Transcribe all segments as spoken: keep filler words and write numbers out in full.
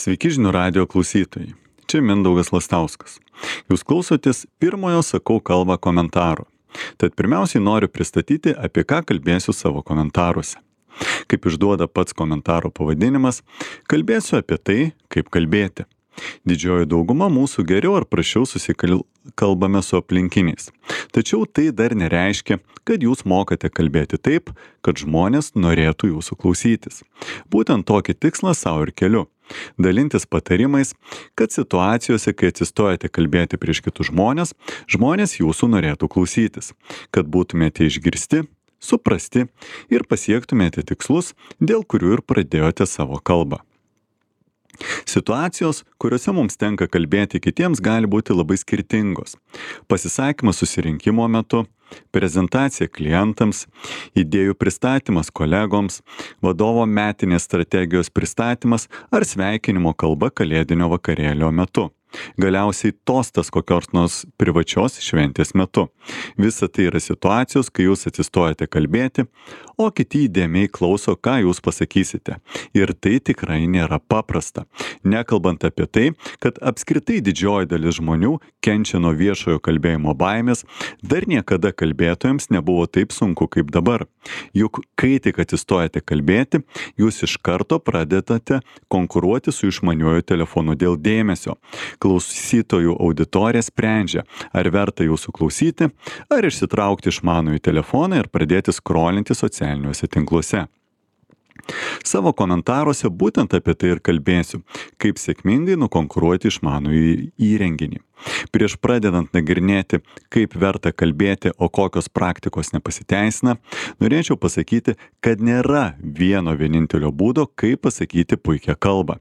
Sveiki žinių radijo klausytojai. Čia Mindaugas Lastauskas. Jūs klausotės pirmojo Sakau kalbą komentaro. Tad pirmiausiai noriu pristatyti, apie ką kalbėsiu savo komentaruose. Kaip išduoda pats komentaro pavadinimas, kalbėsiu apie tai, kaip kalbėti. Didžioji dauguma mūsų geriau ar prašiau susikalbame su aplinkiniais. Tačiau tai dar nereiškia, kad jūs mokate kalbėti taip, kad žmonės norėtų jūsų klausytis. Būtent tokį tikslą savo ir keliu. Dalintis patarimais, kad situacijose, kai atsistojate kalbėti prieš kitus žmonės, žmonės jūsų norėtų klausytis, kad būtumėte išgirsti, suprasti ir pasiektumėte tikslus, dėl kurių ir pradėjote savo kalbą. Situacijos, kuriuose mums tenka kalbėti kitiems, gali būti labai skirtingos. Pasisakymas susirinkimo metu, prezentacija klientams, idėjų pristatymas kolegoms, vadovo metinės strategijos pristatymas ar sveikinimo kalba kalėdinio vakarėlio metu. Galiausiai tostas kokios nors privačios šventės metu. Visa tai yra situacijos, kai jūs atsistojate kalbėti, o kiti įdėmiai klauso, ką jūs pasakysite. Ir tai tikrai nėra paprasta. Nekalbant apie tai, kad apskritai didžioji dalis žmonių kenčia nuo viešojo kalbėjimo baimės, dar niekada kalbėtojams nebuvo taip sunku kaip dabar. Juk kai tik atsistojate kalbėti, jūs iš karto pradedate konkuruoti su išmaniuoju telefonu dėl dėmesio. Klausytojų auditorija sprendžia, ar verta jūsų klausyti, ar išsitraukti išmanųjį telefoną ir pradėti skrolinti socialiniuose tinkluose. Savo komentaruose būtent apie tai ir kalbėsiu, kaip sėkmingai nukonkuruoti išmanųjį įrenginį. Prieš pradedant nagrinėti, kaip verta kalbėti, o kokios praktikos nepasiteisina, norėčiau pasakyti, kad nėra vieno vienintelio būdo, kaip pasakyti puikią kalbą.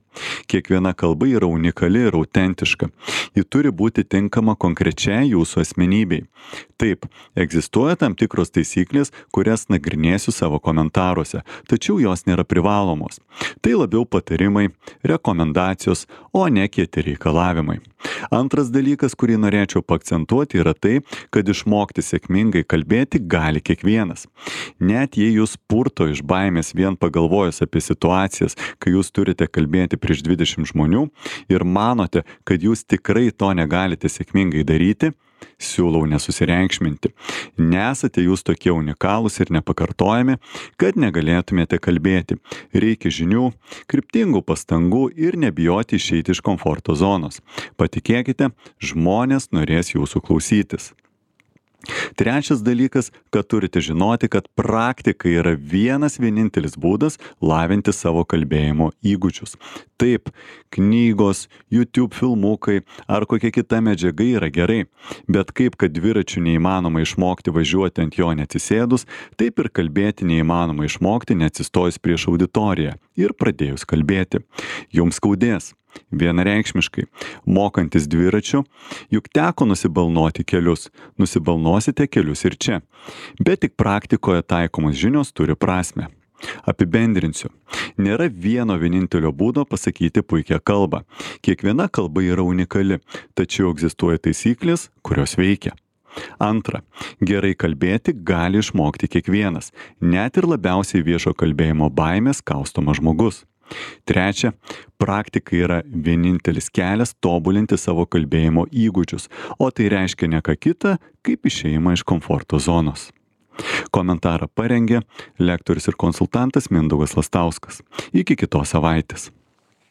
Kiekviena kalba yra unikali ir autentiška. Ji turi būti tinkama konkrečiai jūsų asmenybei. Taip, egzistuoja tam tikros taisyklės, kurias nagrinėsiu savo komentaruose, tačiau jos nėra privalomos. Tai labiau patarimai, rekomendacijos, o ne kieti reikalavimai. Antras dalykas, kurį norėčiau paakcentuoti, yra tai, kad išmokti sėkmingai kalbėti gali kiekvienas. Net jei jūs purto iš baimės vien pagalvojus apie situacijas, kai jūs turite kalbėti prieš dvidešimt žmonių ir manote, kad jūs tikrai to negalite sėkmingai daryti, siūlau nesusireikšminti. Nesate jūs tokie unikalūs ir nepakartojami, kad negalėtumėte kalbėti. Reikia žinių, kryptingų pastangų ir nebijoti išeiti iš komforto zonos. Patikėkite, žmonės norės jūsų klausytis. Trečias dalykas, kad turite žinoti, kad praktika yra vienas vienintelis būdas lavinti savo kalbėjimo įgūdžius. Taip, knygos, YouTube filmukai ar kokia kita medžiaga yra gerai, bet kaip kad dviračių neįmanoma išmokti važiuoti ant jo neatsisėdus, taip ir kalbėti neįmanoma išmokti neatsistojus prieš auditoriją ir pradėjus kalbėti. Jums skaudės. Vienareikšmiškai, mokantis dviračiu, juk teko nusibalnoti kelius, nusibalnosite kelius ir čia, bet tik praktikoje taikomos žinios turi prasmę. Apibendrinsiu, nėra vieno vienintelio būdo pasakyti puikią kalbą. Kiekviena kalba yra unikali, tačiau egzistuoja taisyklės, kurios veikia. Antra, gerai kalbėti gali išmokti kiekvienas, net ir labiausiai viešo kalbėjimo baimės kaustomas žmogus. Trečia, praktika yra vienintelis kelias tobulinti savo kalbėjimo įgūdžius, o tai reiškia ne ką kita, kaip išėjimą iš komforto zonos. Komentarą parengė lektorius ir konsultantas Mindaugas Lastauskas. Iki kitos savaitės.